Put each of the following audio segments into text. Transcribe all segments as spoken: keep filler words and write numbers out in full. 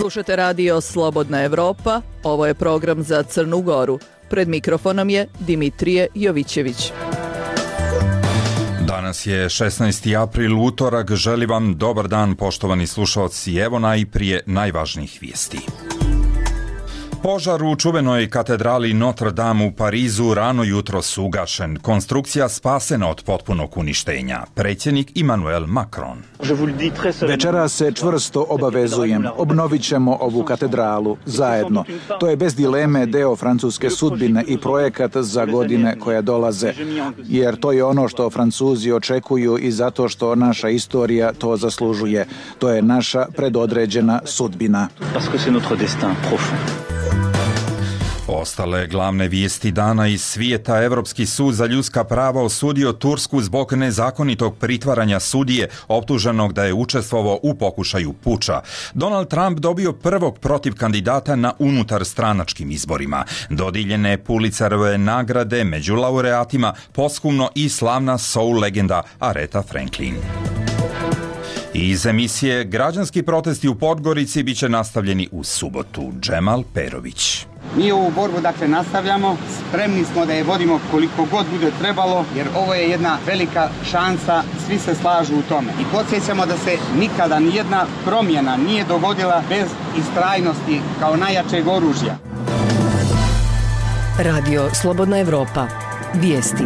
Slušate radio Slobodna Evropa, ovo je program za Crnu Goru. Pred mikrofonom je Dimitrije Jovićević. Danas je šesnaesti april, utorak. Želim vam dobar dan, poštovani slušalci. Evo najprije najvažnijih vijesti. Požar u čuvenoj katedrali Notre Dame u Parizu rano jutros ugašen. Konstrukcija spasena od potpunog uništenja. Predsjednik Emmanuel Macron. Večeras se čvrsto obavezujem. Obnovit ćemo ovu katedralu zajedno. To je bez dileme deo francuske sudbine i projekat za godine koje dolaze. Jer to je ono što Francuzi očekuju i zato što naša istorija to zaslužuje. To je naša predodređena sudbina. Ostale glavne vijesti dana iz svijeta. Evropski sud za ljudska prava osudio Tursku zbog nezakonitog pritvaranja sudije optuženog da je učestvovao u pokušaju puča. Donald Trump dobio prvog protiv kandidata na unutar stranačkim izborima. Dodijeljene Pulitzerove nagrade među laureatima posthumno i slavna soul legenda Aretha Franklin. Iz emisije Građanski protesti u Podgorici bit će nastavljeni u subotu. Džemal Perović. Mi ovu borbu dakle nastavljamo, spremni smo da je vodimo koliko god bude trebalo, jer ovo je jedna velika šansa, svi se slažu u tome. I podsjećamo da se nikada nijedna promjena nije dogodila bez istrajnosti kao najjačeg oružja. Radio Slobodna Evropa. Vijesti.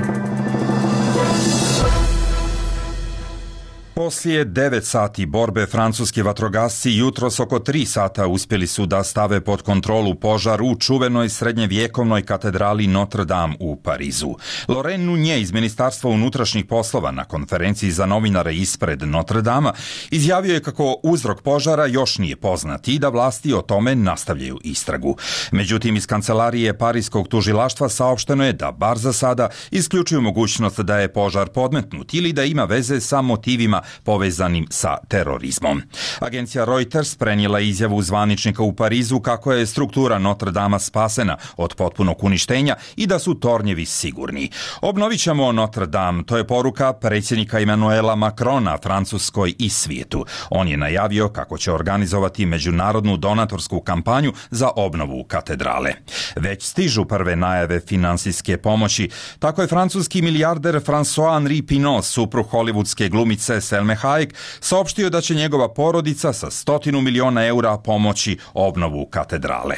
Poslije devet sati borbe francuski vatrogasci jutros oko tri sata uspjeli su da stave pod kontrolu požar u čuvenoj srednjevjekovnoj katedrali Notre Dame u Parizu. Laurent Nunez iz Ministarstva unutrašnjih poslova na konferenciji za novinare ispred Notre Dame izjavio je kako uzrok požara još nije poznat i da vlasti o tome nastavljaju istragu. Međutim, iz kancelarije Parijskog tužilaštva saopšteno je da bar za sada isključuju mogućnost da je požar podmetnut ili da ima veze sa motivima povezanim sa terorizmom. Agencija Reuters prenijela izjavu zvaničnika u Parizu kako je struktura Notre Dama spasena od potpunog uništenja i da su tornjevi sigurni. Obnovit ćemo Notre Dame, to je poruka predsjednika Emmanuela Macrona Francuskoj i svijetu. On je najavio kako će organizovati međunarodnu donatorsku kampanju za obnovu katedrale. Već stižu prve najave finansijske pomoći. Tako je francuski milijarder François-Henri Pinault, suprug hollywoodske glumice Selme Hayek, saopštio da će njegova porodica sa stotinu miliona eura pomoći obnovu katedrale.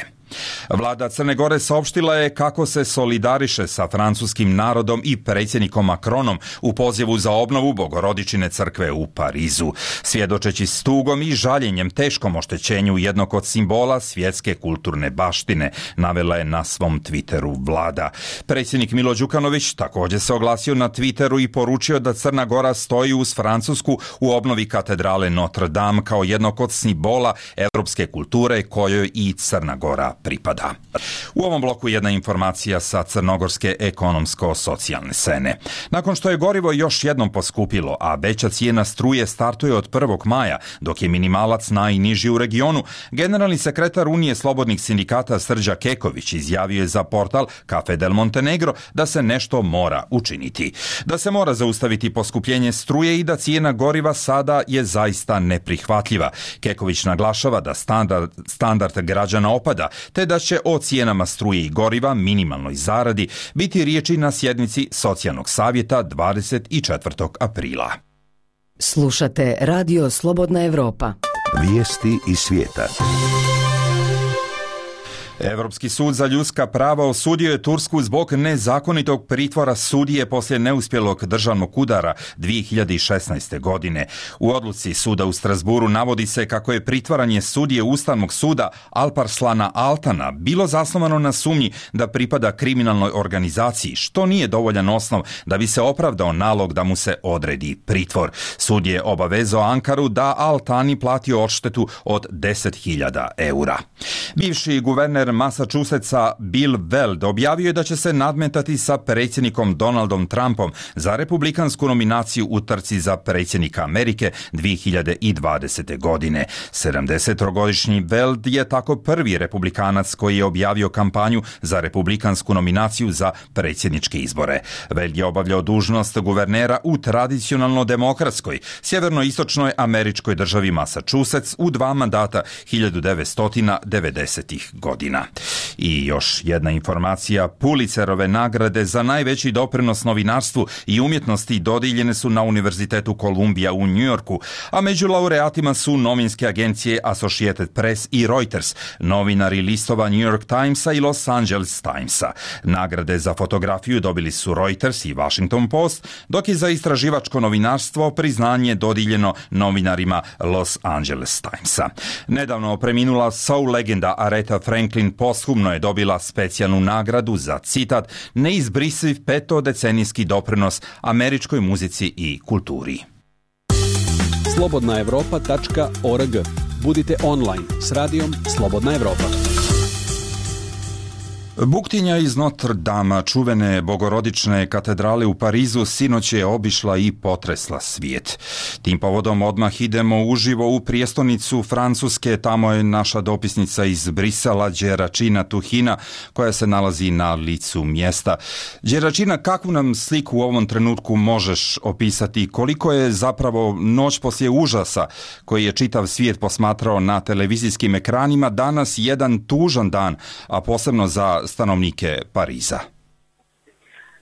Vlada Crne Gore saopštila je kako se solidariše sa francuskim narodom i predsjednikom Macronom u pozivu za obnovu Bogorodičine crkve u Parizu, svjedočeći s tugom i žaljenjem teškom oštećenju jednog od simbola svjetske kulturne baštine, navela je na svom Twitteru vlada. Predsjednik Milo Đukanović također se oglasio na Twitteru i poručio da Crna Gora stoji uz Francusku u obnovi katedrale Notre Dame kao jednog od simbola evropske kulture kojoj i Crna Gora pripada. U ovom bloku jedna informacija sa crnogorske ekonomsko-socijalne scene. Nakon što je gorivo još jednom poskupilo, a veća cijena struje startuje od prvog maja, dok je minimalac najniži u regionu, generalni sekretar Unije slobodnih sindikata Srđa Keković izjavio je za portal Café del Montenegro da se nešto mora učiniti. Da se mora zaustaviti poskupljenje struje i da cijena goriva sada je zaista neprihvatljiva. Keković naglašava da standard, standard građana opada, te da će o cijenama struje i goriva, minimalnoj zaradi, biti riječi na sjednici Socijalnog savjeta dvadeset četvrtog aprila. Slušate Radio Slobodna Evropa. Vijesti iz svijeta. Europski sud za ljudska prava osudio je Tursku zbog nezakonitog pritvora sudije poslije neuspjelog državnog udara dvije hiljade šesnaeste. godine. U odluci suda u Strasburu navodi se kako je pritvaranje sudije Ustavnog suda Alparslana Altana bilo zasnovano na sumnji da pripada kriminalnoj organizaciji, što nije dovoljan osnov da bi se opravdao nalog da mu se odredi pritvor. Sud je obavezao Ankaru da Altani plati odštetu od deset hiljada eura. Bivši guverner Massachusettsa Bill Weld objavio je da će se nadmetati sa predsjednikom Donaldom Trumpom za republikansku nominaciju u trci za predsjednika Amerike dvije hiljade dvadesete. godine. sedamdesetogodišnji Weld je tako prvi republikanac koji je objavio kampanju za republikansku nominaciju za predsjedničke izbore. Weld je obavljao dužnost guvernera u tradicionalno demokratskoj sjevernoistočnoj američkoj državi Massachusetts u dva mandata hiljadu devetsto devedesetih. godina. I još jedna informacija, Pulitzerove nagrade za najveći doprinos novinarstvu i umjetnosti dodijeljene su na Univerzitetu Columbia u New Yorku, a među laureatima su novinske agencije Associated Press i Reuters, novinari listova New York Timesa i Los Angeles Timesa. Nagrade za fotografiju dobili su Reuters i Washington Post, dok je za istraživačko novinarstvo priznanje dodijeljeno novinarima Los Angeles Timesa. Nedavno preminula soul legenda Aretha Franklin posthumno je dobila specijalnu nagradu za, citat, neizbrisiv petodecenijski doprinos američkoj muzici i kulturi. slobodna europa tačka org. Budite online s radijom Slobodna Evropa. Buktinja iz Notre Dama, čuvene bogorodične katedrale u Parizu, sinoć je obišla i potresla svijet. Tim povodom odmah idemo uživo u prijestolnicu Francuske, tamo je naša dopisnica iz Brisela, Đeračina Tuhina, koja se nalazi na licu mjesta. Đeračina, kakvu nam sliku u ovom trenutku možeš opisati? Koliko je zapravo noć poslije užasa koji je čitav svijet posmatrao na televizijskim ekranima danas jedan tužan dan, a posebno za stanovnike Pariza?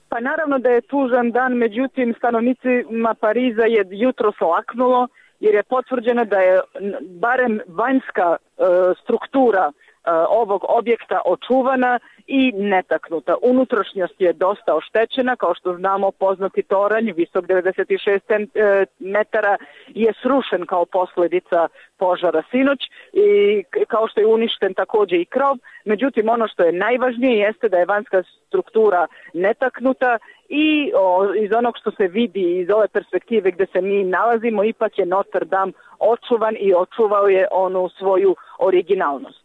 Pa naravno da je tužan dan, međutim stanovnicima Pariza je jutros laknulo jer je potvrđeno da je barem vanjska e, struktura e, ovog objekta očuvana i netaknuta. Unutrašnjost je dosta oštećena, kao što znamo poznati toranj, visok devedeset šest metara, je srušen kao posljedica požara sinoć i kao što je uništen također i krov. Međutim, ono što je najvažnije jeste da je vanjska struktura netaknuta i o, iz onog što se vidi iz ove perspektive gdje se mi nalazimo, ipak je Notre Dame očuvan i očuvao je onu svoju originalnost.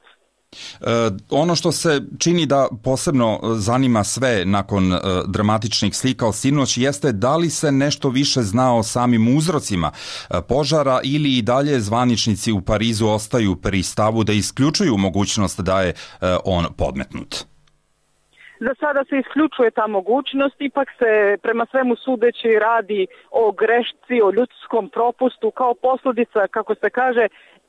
E, ono što se čini da posebno zanima sve nakon e, dramatičnih slika od sinoć jeste da li se nešto više zna o samim uzrocima e, požara ili i dalje zvaničnici u Parizu ostaju pri stavu da isključuju mogućnost da je e, on podmetnut. Za sada se isključuje ta mogućnost, ipak se prema svemu sudeći radi o grešci, o ljudskom propustu kao posljedica, kako se kaže,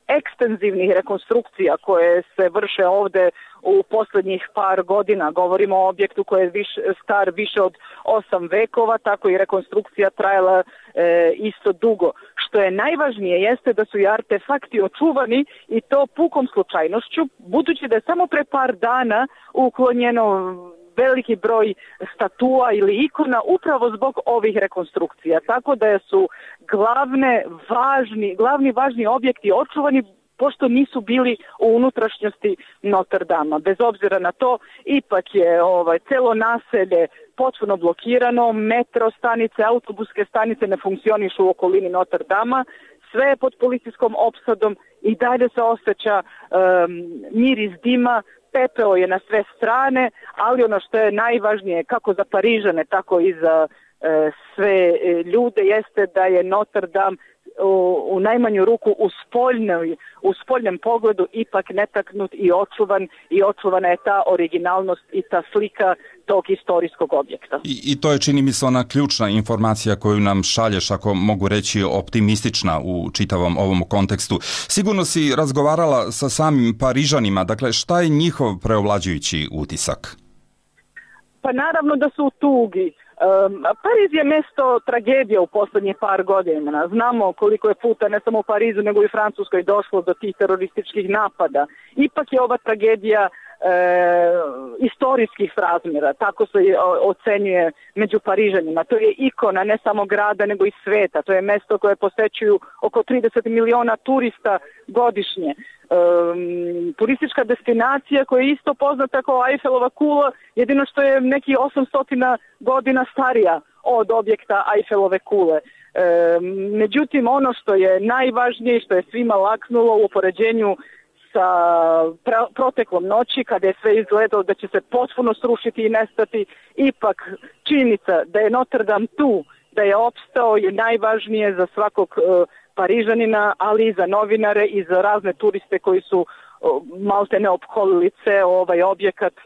ekstenzivnih rekonstrukcija koje se vrše ovdje u posljednjih par godina. Govorimo o objektu koji je viš, star više od osam vekova, tako i rekonstrukcija trajala e, isto dugo. Što je najvažnije jeste da su i artefakti očuvani i to pukom slučajnošću, budući da je samo pre par dana uklonjeno veliki broj statua ili ikona upravo zbog ovih rekonstrukcija. Tako da su glavne važni, glavni važni objekti očuvani pošto nisu bili u unutrašnjosti Notre Dama. Bez obzira na to, ipak je ovaj, celo naselje potpuno blokirano, metro stanice, autobuske stanice ne funkcionišu u okolini Notre Dama, sve je pod policijskom opsadom i dalje se osjeća um, miris dima, pepeo je na sve strane, ali ono što je najvažnije kako za Parižane, tako i za e, sve ljude jeste da je Notre Dame u, u najmanju ruku u, spoljnoj, u spoljnem pogledu ipak netaknut i očuvan i očuvana je ta originalnost i ta slika tog historijskog objekta. I, I to je, čini mi se, ona ključna informacija koju nam šalješ, ako mogu reći optimistična u čitavom ovom kontekstu. Sigurno si razgovarala sa samim Parižanima, dakle šta je njihov preovlađujući utisak? Pa naravno da su u tugi. Um, Pariz je mjesto tragedije u posljednjih par godina. Znamo koliko je puta ne samo u Parizu nego i u Francuskoj došlo do tih terorističkih napada. Ipak je ova tragedija E, istorijskih razmjera, tako se ocenjuje među Parižanima. To je ikona ne samo grada nego i sveta. To je mjesto koje posećuju oko trideset miliona turista godišnje. E, turistička destinacija koja je isto poznata kao Eiffelova kula, jedino što je neki osamsto godina starija od objekta Eiffelove kule. E, međutim, ono što je najvažnije i što je svima laknulo u upoređenju sa proteklom noći, kada je sve izgledalo da će se potpuno srušiti i nestati, ipak činjenica da je Notre Dame tu, da je opstao, je najvažnije za svakog uh, Parižanina, ali i za novinare i za razne turiste koji su uh, malte ne opkolili ceo ovaj objekat uh,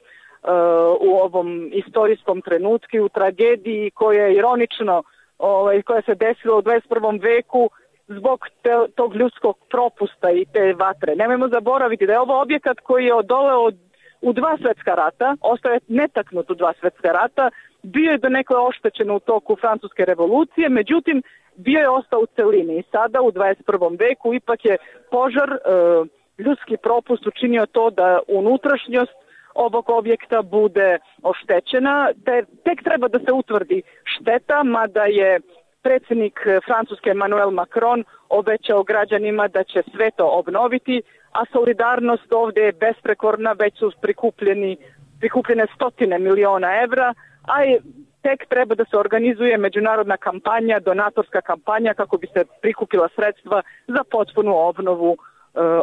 u ovom istorijskom trenutku, u tragediji koja je ironično, ovaj, koja se desila u dvadeset prvom veku, zbog te, tog ljudskog propusta i te vatre. Nemojmo zaboraviti da je ovo objekat koji je odoleo u dva svetska rata, ostao je netaknut u dva svetska rata, bio je do nekoj oštećen u toku Francuske revolucije, međutim bio je ostao u celini i sada u dvadeset prvom veku ipak je požar, e, ljudski propust učinio to da unutrašnjost ovog objekta bude oštećena, te tek treba da se utvrdi šteta, mada je predsjednik Francuske Emmanuel Macron obećao građanima da će sve to obnoviti, a solidarnost ovdje je besprekorna, već su prikupljeni, prikupljene stotine miliona evra, a je, tek treba da se organizuje međunarodna kampanja, donatorska kampanja kako bi se prikupila sredstva za potpunu obnovu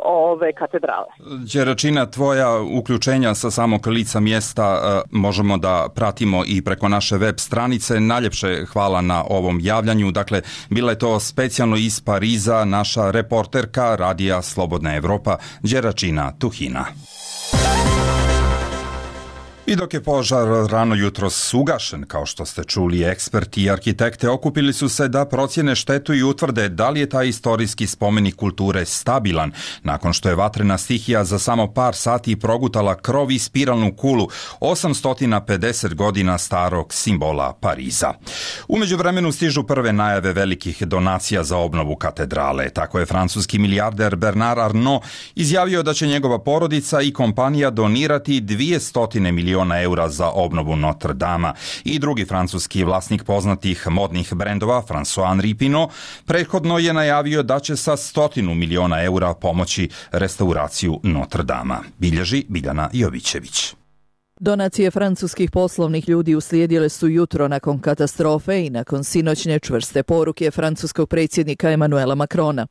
ove katedrale. Đeračina, tvoja uključenja sa samog lica mjesta možemo da pratimo i preko naše web stranice. Najljepše hvala na ovom javljanju. Dakle, bila je to specijalno iz Pariza naša reporterka Radija Slobodna Evropa Đeračina Tuhina. I dok je požar rano jutros ugašen, kao što ste čuli, eksperti i arhitekte okupili su se da procjene štetu i utvrde da li je taj istorijski spomenik kulture stabilan, nakon što je vatrena stihija za samo par sati progutala krov i spiralnu kulu osamsto pedeset godina starog simbola Pariza. U međuvremenu stižu prve najave velikih donacija za obnovu katedrale. Tako je francuski milijarder Bernard Arnault izjavio da će njegova porodica i kompanija donirati dvjesto miliona eura za obnovu Notre Dama. I drugi francuski vlasnik poznatih modnih brendova, François-Henri Pinault, prethodno je najavio da će sa stotinu miliona eura pomoći restauraciju Notre Dama. Bilježi Biljana Jovićević. Donacije francuskih poslovnih ljudi uslijedile su jutro nakon katastrofe i nakon sinoćne čvrste poruke francuskog predsjednika Emmanuela Macrona.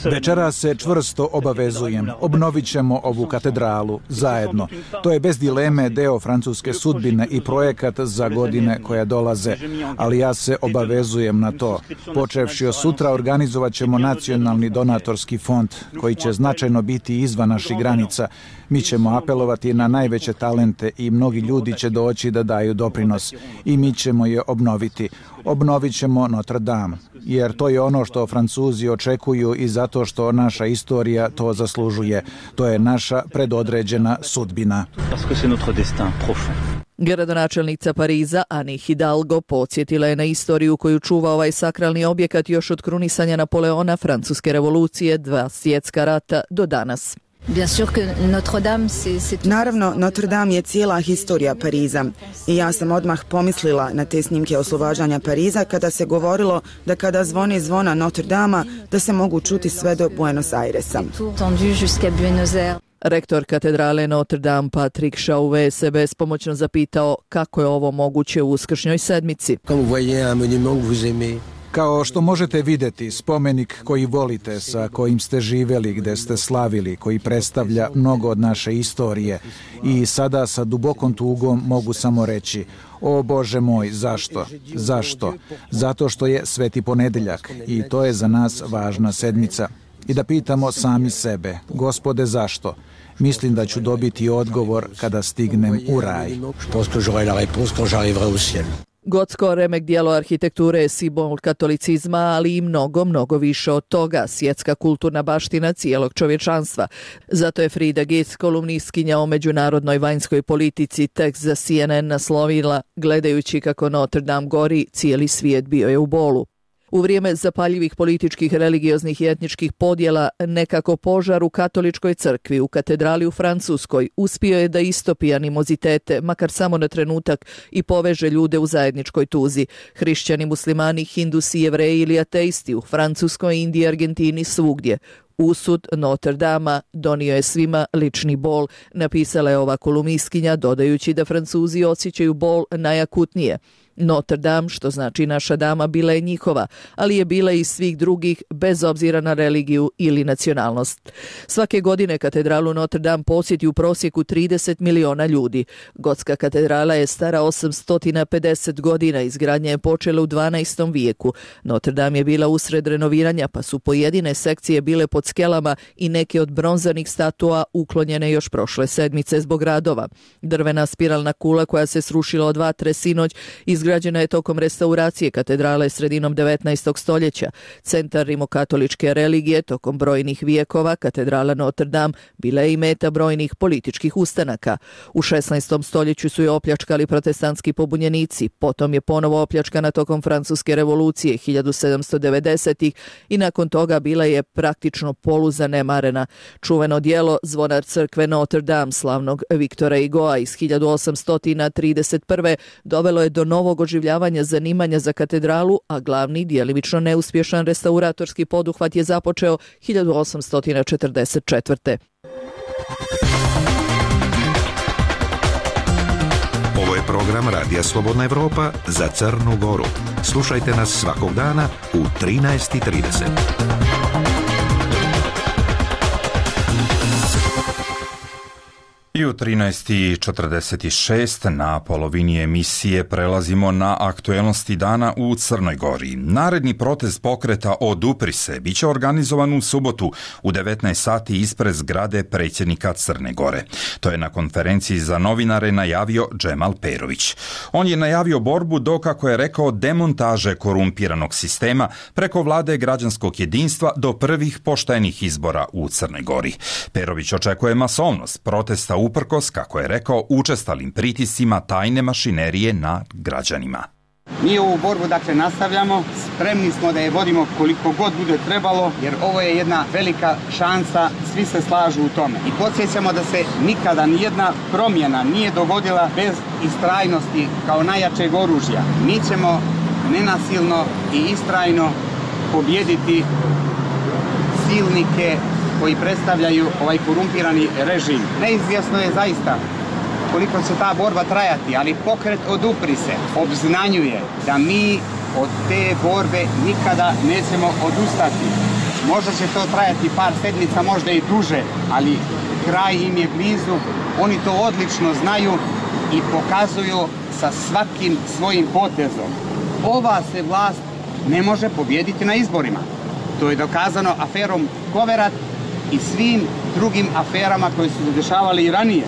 Večera se čvrsto obavezujem. Obnovit ćemo ovu katedralu zajedno. To je bez dileme deo francuske sudbine i projekat za godine koje dolaze. Ali ja se obavezujem na to. Počevši od sutra organizovat ćemo nacionalni donatorski fond koji će značajno biti izvan naših granica. Mi ćemo apelovati na najveće talente i mnogi ljudi će doći da daju doprinos i mi ćemo je obnoviti. Obnovit ćemo Notre Dame, jer to je ono što Francuzi očekuju i zato što naša istorija to zaslužuje. To je naša predodređena sudbina. Gradonačelnica Pariza Anne Hidalgo podsjetila je na istoriju koju čuva ovaj sakralni objekat još od krunisanja Napoleona, Francuske revolucije, dva svjetska rata do danas. Naravno, Notre Dame je cijela historija Pariza i ja sam odmah pomislila na te snimke oslobađanja Pariza kada se govorilo da kada zvoni zvona Notre Dama da se mogu čuti sve do Buenos Airesa. Rektor katedrale Notre Dame Patrick Chauvet se bespomoćno zapitao kako je ovo moguće u uskršnjoj sedmici. Kao što možete vidjeti, spomenik koji volite, sa kojim ste živjeli, gde ste slavili, koji predstavlja mnogo od naše istorije. I sada sa dubokom tugom mogu samo reći, o Bože moj, zašto? Zašto? Zato što je Sveti ponedeljak i to je za nas važna sedmica. I da pitamo sami sebe, Gospode, zašto? Mislim da ću dobiti odgovor kada stignem u raj. Gotsko remek dijelo arhitekture je simbol katolicizma, ali i mnogo, mnogo više od toga, svjetska kulturna baština cijelog čovječanstva. Zato je Frida Gitz, kolumnistkinja o međunarodnoj vanjskoj politici, tekst za C N N naslovila: gledajući kako Notre Dame gori, cijeli svijet bio je u bolu. U vrijeme zapaljivih političkih, religioznih i etničkih podjela, nekako požar u katoličkoj crkvi u katedrali u Francuskoj uspio je da istopi animozitete, makar samo na trenutak, i poveže ljude u zajedničkoj tuzi. Hrišćani, muslimani, hindusi, jevreji ili ateisti u Francuskoj, Indiji, Argentini, svugdje. Usud Notre Dama donio je svima lični bol, napisala je ova kolumnistkinja, dodajući da Francuzi osjećaju bol najakutnije. Notre Dame, što znači naša dama, bila je njihova, ali je bila i svih drugih bez obzira na religiju ili nacionalnost. Svake godine katedralu Notre Dame posjeti u prosjeku trideset miliona ljudi. Gotska katedrala je stara osamsto pedeset godina, izgradnja je počela u dvanaestom vijeku. Notre Dame je bila usred renoviranja, pa su pojedine sekcije bile pod skelama i neke od bronzanih statua uklonjene još prošle sedmice zbog radova. Drvena spiralna kula koja se srušila od vatre sinoć izgrađena je tokom restauracije katedrale sredinom devetnaestog stoljeća. Centar rimokatoličke religije tokom brojnih vijekova, katedrala Notre Dame bila je i meta brojnih političkih ustanaka. U šesnaestom stoljeću su je opljačkali protestantski pobunjenici, potom je ponovo opljačkana tokom Francuske revolucije hiljadu sedamsto devedesetih i nakon toga bila je praktično poluzanemarena. Čuveno djelo Zvonar crkve Notre Dame slavnog Viktora Hugoa iz hiljadu osamsto trideset prve dovelo je do novog oživljavanja zanimanja za katedralu, a glavni djelimično neuspješan restauratorski poduhvat je započeo hiljadu osamsto četrdeset četvrte. Ovo je program Radija Slobodna Evropa za Crnu Goru. Slušajte nas svakog dana u trinaest i trideset. I u trinaest i četrdeset šest na polovini emisije prelazimo na aktuelnosti dana u Crnoj Gori. Naredni protest pokreta Odupri se biće organizovan u subotu u devetnaest sati ispred zgrade predsjednika Crne Gore. To je na konferenciji za novinare najavio Džemal Perović. On je najavio borbu do, kako je rekao, demontaže korumpiranog sistema preko vlade građanskog jedinstva do prvih poštenih izbora u Crnoj Gori. Perović očekuje masovnost protesta uprkos, kako je rekao, učestalim pritiscima tajne mašinerije nad građanima. Mi ovu borbu dakle nastavljamo, spremni smo da je vodimo koliko god bude trebalo, jer ovo je jedna velika šansa, svi se slažu u tome. I podsjećamo da se nikada nijedna promjena nije dogodila bez istrajnosti kao najjačeg oružja. Mi ćemo nenasilno i istrajno pobijediti silnike koji predstavljaju ovaj korumpirani režim. Neizvjesno je zaista koliko će ta borba trajati, ali pokret Odupri se obznanjuje da mi od te borbe nikada nećemo odustati. Možda će to trajati par sedmica, možda i duže, ali kraj im je blizu. Oni to odlično znaju i pokazuju sa svakim svojim potezom. Ova se vlast ne može pobijediti na izborima. To je dokazano aferom Koverat i svim drugim aferama koje su se dešavali i ranije.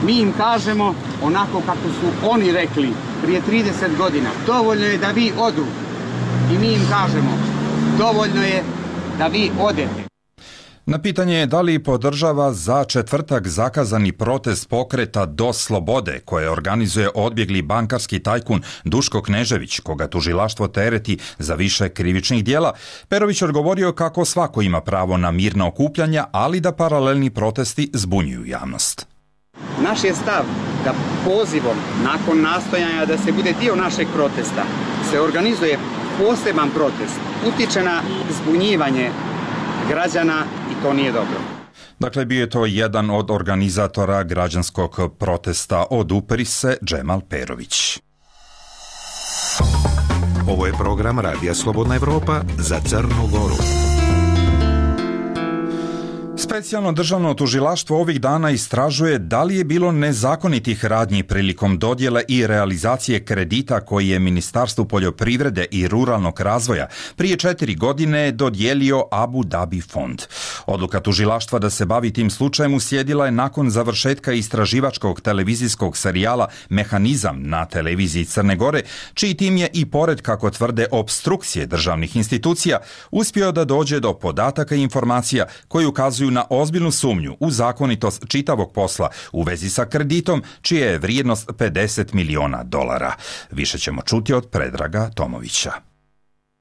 Mi im kažemo onako kako su oni rekli prije trideset godina. Dovoljno je da vi odu. I mi im kažemo dovoljno je da vi odete. Na pitanje da li podržava za četvrtak zakazani protest pokreta Do slobode koje organizuje odbjegli bankarski tajkun Duško Knežević, koga tužilaštvo tereti za više krivičnih djela, Perović odgovorio kako svako ima pravo na mirna okupljanja, ali da paralelni protesti zbunjuju javnost. Naš je stav da pozivom nakon nastojanja da se bude dio našeg protesta se organizuje poseban protest, utiče na zbunjivanje građana i to nije dobro. Dakle, bio je to jedan od organizatora građanskog protesta Odupri se, Džemal Perović. Ovo je program Radija Slobodna Evropa za Crnu Goru. Specijalno državno tužilaštvo ovih dana istražuje da li je bilo nezakonitih radnji prilikom dodjele i realizacije kredita koji je Ministarstvu poljoprivrede i ruralnog razvoja prije četiri godine dodijelio Abu Dhabi fond. Odluka tužilaštva da se bavi tim slučajem uslijedila je nakon završetka istraživačkog televizijskog serijala Mehanizam na televiziji Crne Gore, čiji tim je i pored, kako tvrde, opstrukcije državnih institucija, uspio da dođe do podataka i informacija koji ukazuju na ozbiljnu sumnju u zakonitost čitavog posla u vezi sa kreditom, čija je vrijednost pedeset miliona dolara. Više ćemo čuti od Predraga Tomovića.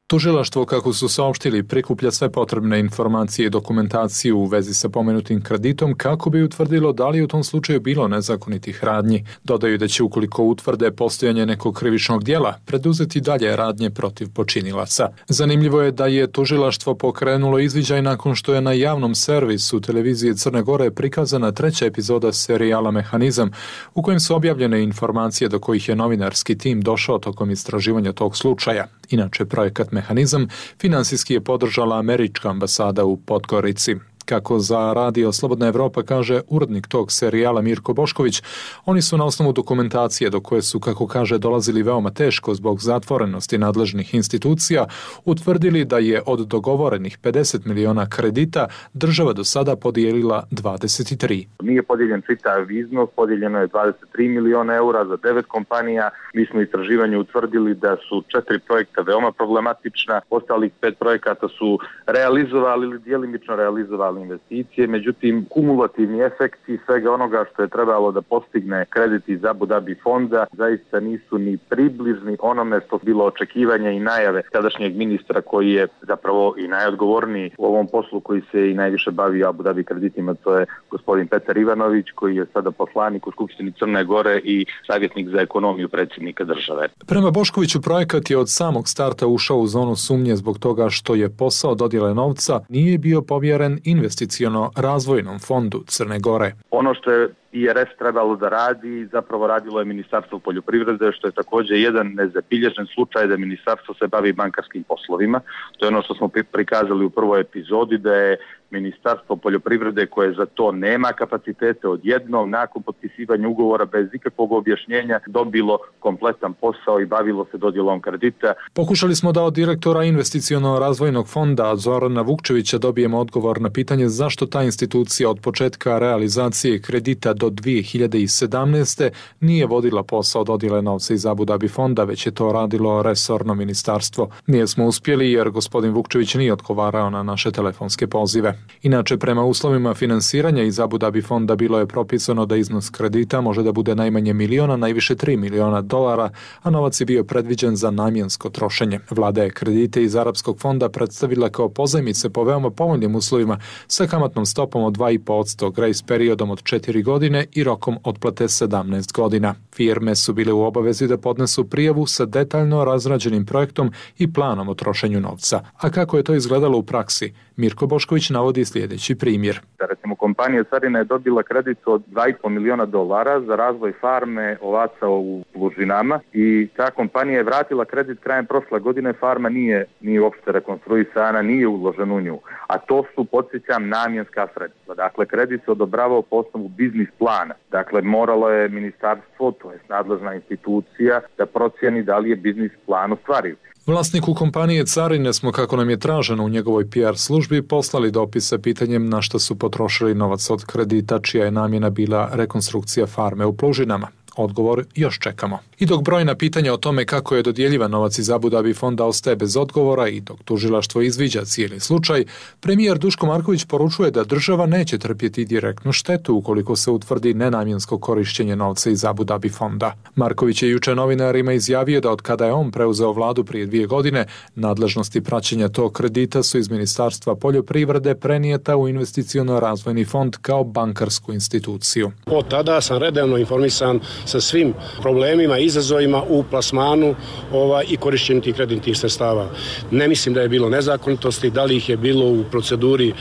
Tužilaštvo, kako su saopštili, prikuplja sve potrebne informacije i dokumentaciju u vezi sa pomenutim kreditom kako bi utvrdilo da li je u tom slučaju bilo nezakonitih radnji. Dodaju da će, ukoliko utvrde postojanje nekog krivičnog djela, preduzeti dalje radnje protiv počinilaca. Zanimljivo je da je tužilaštvo pokrenulo izviđaj nakon što je na javnom servisu televizije Crne Gore prikazana treća epizoda serijala Mehanizam, u kojem su objavljene informacije do kojih je novinarski tim došao tokom istraživanja tog slučaja. Inače, projekat Mehanizam finansijski je podržala američka ambasada u Podgorici. Kako za Radio Slobodna Evropa kaže urednik tog serijala Mirko Bošković, oni su na osnovu dokumentacije do koje su, kako kaže, dolazili veoma teško zbog zatvorenosti nadležnih institucija, utvrdili da je od dogovorenih pedeset miliona kredita država do sada podijelila dvadeset tri. Nije podijeljen čitav iznos, podijeljeno je dvadeset tri miliona eura za devet kompanija. Mi smo istraživanje utvrdili da su četiri projekta veoma problematična, ostalih pet projekata su realizovali ili djelimično realizovali investicije, međutim kumulativni efekti svega onoga što je trebalo da postigne kredit iz Abu Dhabi fonda zaista nisu ni približni onome što bilo očekivanje i najave tadašnjeg ministra koji je zapravo i najodgovorniji u ovom poslu, koji se i najviše bavi Abu Dhabi kreditima, to je gospodin Petar Ivanović, koji je sada poslanik u Skupštini Crne Gore i savjetnik za ekonomiju predsjednika države. Prema Boškoviću, projekat je od samog starta ušao u zonu sumnje zbog toga što je posao dodjele novca nije bio povjeren investiciono razvojnom fondu Crne Gore. Ono što je I R S trebalo da radi, zapravo radilo je Ministarstvo poljoprivrede, što je također jedan nezabilježen slučaj da ministarstvo se bavi bankarskim poslovima. To je ono što smo prikazali u prvoj epizodi, da je Ministarstvo poljoprivrede, koje za to nema kapacitete, odjednom nakon potpisivanja ugovora bez ikakvog objašnjenja dobilo kompletan posao i bavilo se dodjelom kredita. Pokušali smo da od direktora investiciono razvojnog fonda Zorana Vukčevića dobijemo odgovor na pitanje zašto ta institucija od početka realizacije kredita do dvije hiljade sedamnaeste. nije vodila posao dodjele novca iz Abu Dhabi fonda, već je to radilo resorno ministarstvo. Nije smo uspjeli jer gospodin Vukčević nije odgovarao na naše telefonske pozive. Inače, prema uslovima finansiranja iz Abu Dhabi fonda bilo je propisano da iznos kredita može da bude najmanje miliona, najviše tri miliona dolara, a novac je bio predviđen za namjensko trošenje. Vlada je kredite iz Arapskog fonda predstavila kao pozajmice po veoma povoljnim uslovima sa kamatnom stopom od dva i po posto, grace periodom od četiri godine i rokom otplate sedamnaest godina. Firme su bile u obavezi da podnesu prijavu sa detaljno razrađenim projektom i planom o trošenju novca. A kako je to izgledalo u praksi? Mirko Bošković navodi sljedeći primjer. Recimo, kompanija Carina je dobila kredit od dva i po miliona dolara za razvoj farme ovaca u Lužinama i ta kompanija je vratila kredit krajem prošle godine. Farma nije, nije uopšte rekonstruisana, nije uložen u nju. A to su, podsjećam, namjenska sredstva. Dakle, kredit se odobravao po osnovu biznis plana. Dakle, moralo je ministarstvo, to je nadležna institucija, da procijeni da li je biznis plan ostvariv. Vlasniku kompanije Carine smo, kako nam je traženo u njegovoj P R službi, poslali dopis sa pitanjem na što su potrošili novac od kredita, čija je namjena bila rekonstrukcija farme u Plužinama. Odgovor još čekamo. I dok brojna pitanja o tome kako je dodjeljivan novac iz Abu Dhabi fonda ostaje bez odgovora i dok tužilaštvo izviđa cijeli slučaj, premijer Duško Marković poručuje da država neće trpjeti direktnu štetu ukoliko se utvrdi nenamjensko korištenje novca iz Abu Dhabi fonda. Marković je juče novinarima izjavio da od kada je on preuzeo vladu prije dvije godine, nadležnosti praćenja tog kredita su iz Ministarstva poljoprivrede prenijeta u investiciono razvojni fond kao bankarsku instituciju. Od tada sam redovno informisan sa svim problemima, izazovima u plasmanu ova, i korišćenju tih kreditnih sredstava. Ne mislim da je bilo nezakonitosti, da li ih je bilo u proceduri, e,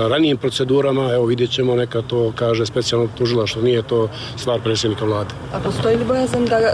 ranijim procedurama, evo vidjet ćemo, neka to kaže specijalno tužilaštvo, nije to stvar predsjednika vlade. A postoji li bojazan da e,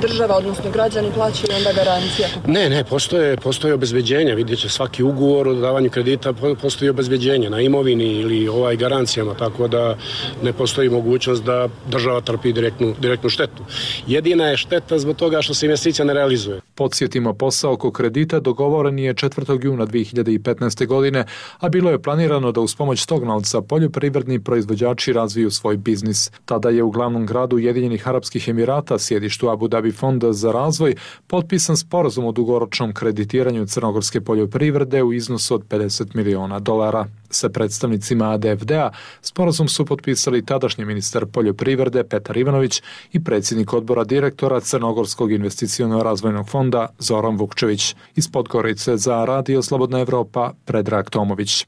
država, odnosno građani plaćaju onda garancija? Ne, ne, postoje, postoje obezbeđenja, vidjet će svaki ugovor o davanju kredita, postoji obezbeđenje na imovini ili ovaj garancijama, tako da ne postoji mogućnost da država trpi direktnu, direktnu štetu. Jedina je šteta zbog toga što se investicija ne realizuje. Podsjetimo, posao oko kredita dogovoren je četvrtog juna dvije hiljade petnaeste. godine, a bilo je planirano da uz pomoć tog novca poljoprivredni proizvođači razviju svoj biznis. Tada je u glavnom gradu Ujedinjenih Arapskih Emirata, sjedištu Abu Dhabi fonda za razvoj, potpisan sporazum o dugoročnom kreditiranju crnogorske poljoprivrede u iznosu od pedeset miliona dolara. sa predstavnicima A D F D-a sporazum su potpisali tadašnji ministar poljoprivrede Petar Ivanović i predsjednik odbora direktora Crnogorskog investiciono-razvojnog fonda Zoran Vukčević. Iz Podgorice za Radio Slobodna Evropa Predrag Tomović.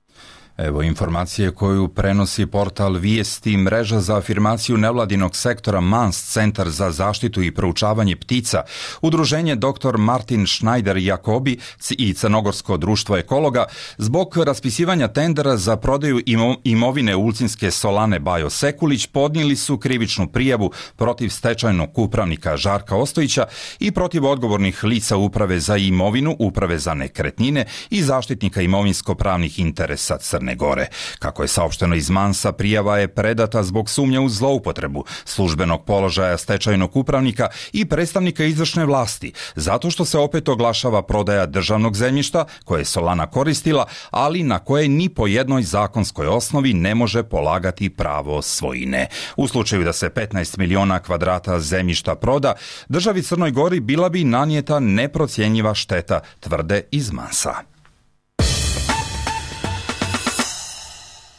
Evo informacije koju prenosi portal Vijesti. Mreža za afirmaciju nevladinog sektora Mans, Centar za zaštitu i proučavanje ptica, udruženje doktor Martin Schneider Jakobi i Crnogorsko društvo ekologa zbog raspisivanja tendera za prodaju imovine Ulcinske solane Bajo Sekulić podnijeli su krivičnu prijavu protiv stečajnog upravnika Žarka Ostojića i protiv odgovornih lica Uprave za imovinu, Uprave za nekretnine i zaštitnika imovinsko-pravnih interesa Crne Gore. Kako je saopšteno iz Mansa, prijava je predata zbog sumnje u zloupotrebu službenog položaja stečajnog upravnika i predstavnika izvršne vlasti, zato što se opet oglašava prodaja državnog zemljišta koje je Solana koristila, ali na koje ni po jednoj zakonskoj osnovi ne može polagati pravo svojine. U slučaju da se petnaest miliona kvadrata zemljišta proda, državi Crnoj Gori bila bi nanijeta neprocjenjiva šteta, tvrde iz Mansa.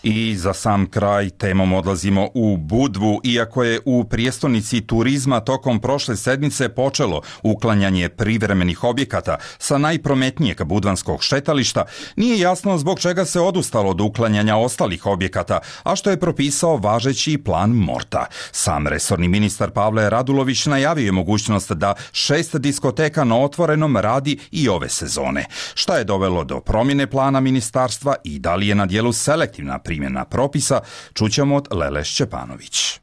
I za sam kraj temom odlazimo u Budvu. Iako je u prijestolnici turizma tokom prošle sedmice počelo uklanjanje privremenih objekata sa najprometnijeg budvanskog šetališta, nije jasno zbog čega se odustalo od uklanjanja ostalih objekata, a što je propisao važeći plan Morta. Sam resorni ministar Pavle Radulović najavio je mogućnost da šest diskoteka na otvorenom radi i ove sezone. Šta je dovelo do promjene plana ministarstva i da li je na dijelu selektivna primjena propisa, čućemo od Lele Šćepanović.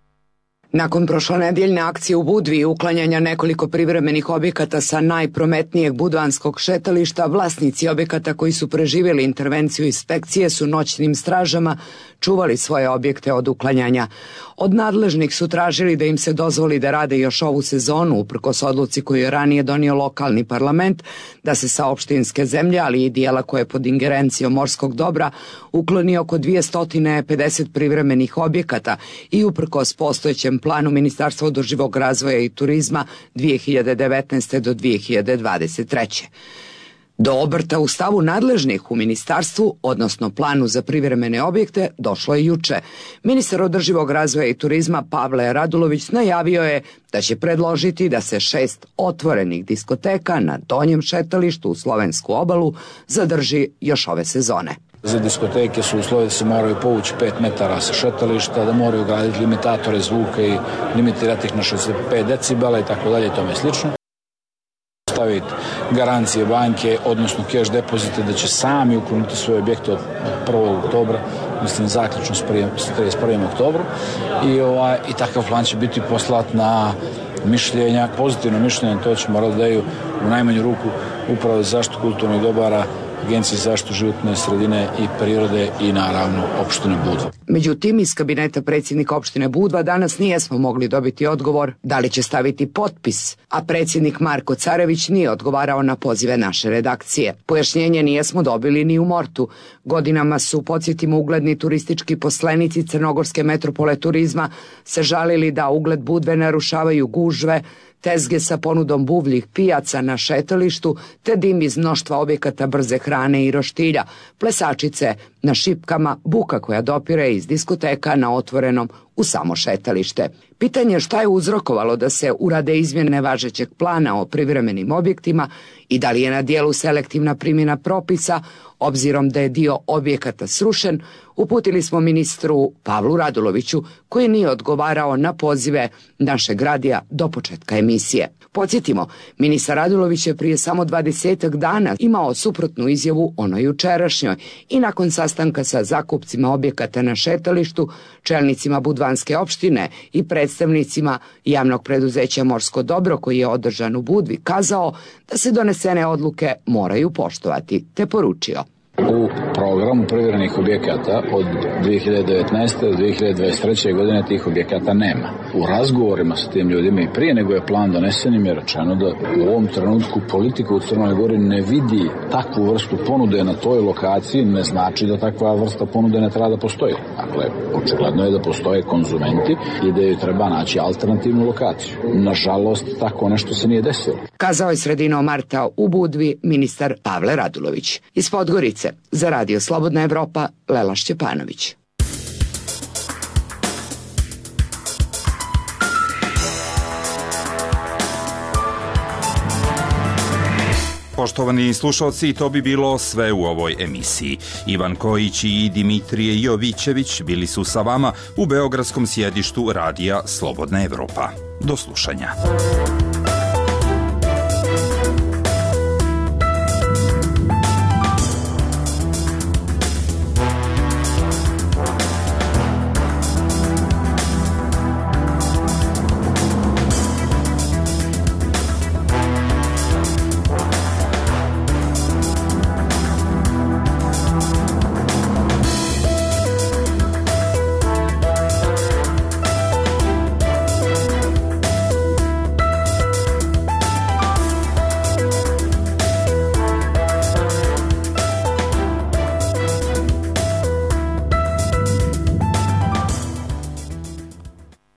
Nakon prošlonedjeljne akcije u Budvi i uklanjanja nekoliko privremenih objekata sa najprometnijeg budvanskog šetališta, vlasnici objekata koji su preživjeli intervenciju inspekcije su noćnim stražama čuvali svoje objekte od uklanjanja. Od nadležnih su tražili da im se dozvoli da rade još ovu sezonu, uprkos odluci koju je ranije donio lokalni parlament, da se sa opštinske zemlje, ali i dijela koje je pod ingerencijom morskog dobra, ukloni oko dvjesto pedeset privremenih objekata i uprkos postojećem planu Ministarstva održivog razvoja i turizma dvije hiljade devetnaeste. do dvije hiljade dvadeset treće. Do obrta u stavu nadležnih u ministarstvu, odnosno planu za privremene objekte, došlo je juče. Ministar održivog razvoja i turizma Pavle Radulović najavio je da će predložiti da se šest otvorenih diskoteka na donjem šetalištu u Slovensku obalu zadrži još ove sezone. Za diskoteke su uslovi da se moraju povući pet metara sa šetališta, da moraju graditi limitatore zvuka i limitirati ih na šezdeset pet decibela i tako dalje i tome slično. Staviti garancije banke, odnosno cash depozite da će sami ukloniti svoje objekte od prvog oktobra, mislim zaključno s trideset prvog oktobra i, ovaj, i takav plan će biti poslat na mišljenja, pozitivno mišljenje, to će morati da daju u najmanju ruku Upravo za zaštitu kulturnih dobara, Agencije za zaštitu životne sredine i prirode i naravno opštine Budva. Međutim, iz kabineta predsjednika opštine Budva danas nijesmo mogli dobiti odgovor da li će staviti potpis, a predsjednik Marko Carević nije odgovarao na pozive naše redakcije. Pojašnjenje nijesmo dobili ni u Mortu. Godinama su, podsjetimo, ugledni turistički poslenici Crnogorske metropole turizma se žalili da ugled Budve narušavaju gužve, tezge sa ponudom buvljih pijaca na šetalištu, te dim iz mnoštva objekata brze hrane i roštilja, plesačice na šipkama, buka koja dopire iz diskoteka na otvorenom u samo šetalište. Pitanje je šta je uzrokovalo da se urade izmjene važećeg plana o privremenim objektima i da li je na dijelu selektivna primjena propisa, obzirom da je dio objekata srušen, uputili smo ministru Pavlu Raduloviću, koji nije odgovarao na pozive našeg radija do početka emisije. Podsjetimo, ministar Radulović je prije samo dvadesetak dana imao suprotnu izjavu onoj jučerašnjoj i nakon sastanka sa zakupcima objekata na šetalištu, čelnicima Budvanske opštine i predstavnicima javnog preduzeća Morsko dobro koji je održan u Budvi kazao da se donesene odluke moraju poštovati, te poručio: U programu privremenih objekata od dvije hiljade devetnaeste. do dvije hiljade dvadeset treće. godine tih objekata nema. U razgovorima sa tim ljudima i prije nego je plan donesen im je rečeno da u ovom trenutku politika u Crnoj Gori ne vidi takvu vrstu ponude na toj lokaciji, ne znači da takva vrsta ponude ne treba da postoji. Dakle, očigledno je da postoje konzumenti i da joj treba naći alternativnu lokaciju. Nažalost, tako nešto se nije desilo. Kazao je sredinom marta u Budvi ministar Pavle Radulović. Iz Podgorice za Radio Radio Slobodna Evropa, Lela Šćepanović. Poštovani slušalci, to bi bilo sve u ovoj emisiji. Ivan Kojić i Dimitrije Jovićević bili su sa vama u beogradskom sjedištu Radija Slobodna Evropa. Do slušanja.